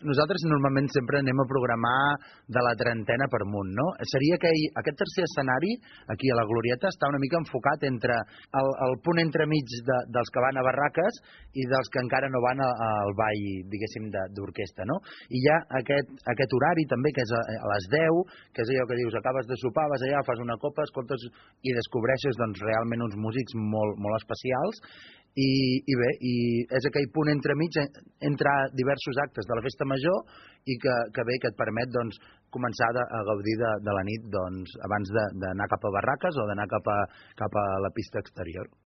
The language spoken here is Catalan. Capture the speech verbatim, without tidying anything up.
nosaltres normalment sempre anem a programar de la trentena per amunt, no? Seria que aquest tercer escenari, aquí a la Glorieta, està una mica enfocat entre el, el punt entremig de, dels que van a barraques i dels que encara no van a, al ball, diguéssim, d'orquestra, no? I hi ha aquest, aquest horari també, que és a, a les deu, que és allò que dius, acabes de sopar, vas allà, fas una copa, escoltes i descobreixes doncs, realment uns músics molt, molt especials. I, i bé, i és aquell punt entremig entre diversos actes de la festa major i que, que bé, que et permet doncs, començar de, a gaudir de, de la nit doncs, abans d'anar cap a barraques o d'anar cap, a, cap a la pista exterior.